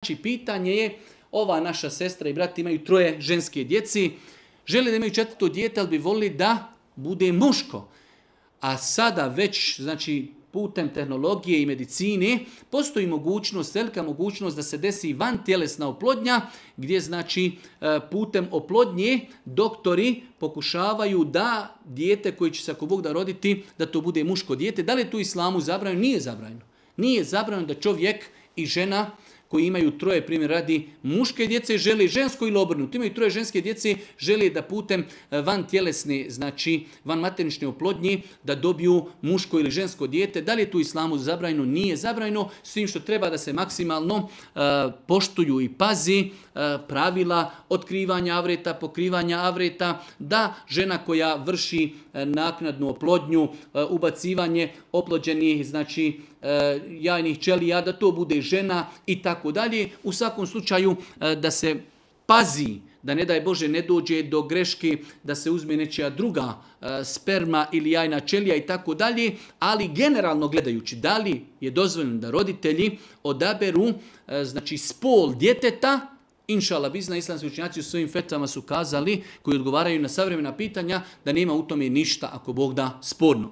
Znači, pitanje je, ova naša sestra i brat imaju 3 ženske djeci, žele da imaju 4. dijete, ali bi volili da bude muško. A sada već, znači, putem tehnologije i medicine postoji mogućnost, velika mogućnost da se desi vantjelesna oplodnja, gdje znači putem oplodnje doktori pokušavaju da dijete koje će se ako Bog da roditi, da to bude muško dijete. Da li je tu islamu zabranjeno? Nije zabranjeno. Nije zabranjeno da čovjek i žena koji imaju 3, primjer radi muške djece, žele žensko ili obrnuto. Imaju 3 ženske djece, žele da putem van tjelesne, znači van maternične oplodnje, da dobiju muško ili žensko dijete. Da li je tu islamu zabranjeno? Nije zabranjeno, s tim što treba da se maksimalno poštuju i pazi pravila otkrivanja avreta, pokrivanja avreta, da žena koja vrši naknadnu oplodnju, ubacivanje oplođenih, znači jajnih ćelija, da to bude žena i tako dalje. U svakom slučaju da se pazi, da ne daj Bože ne dođe do greške da se uzme nečija druga sperma ili jajna ćelija i tako dalje, ali generalno gledajući da li je dozvoljeno da roditelji odaberu znači spol djeteta. Inšala bizna, islamski učenjaci u svojim fetvama su kazali, koji odgovaraju na savremena pitanja, da nema u tome ništa ako Bog da sporno.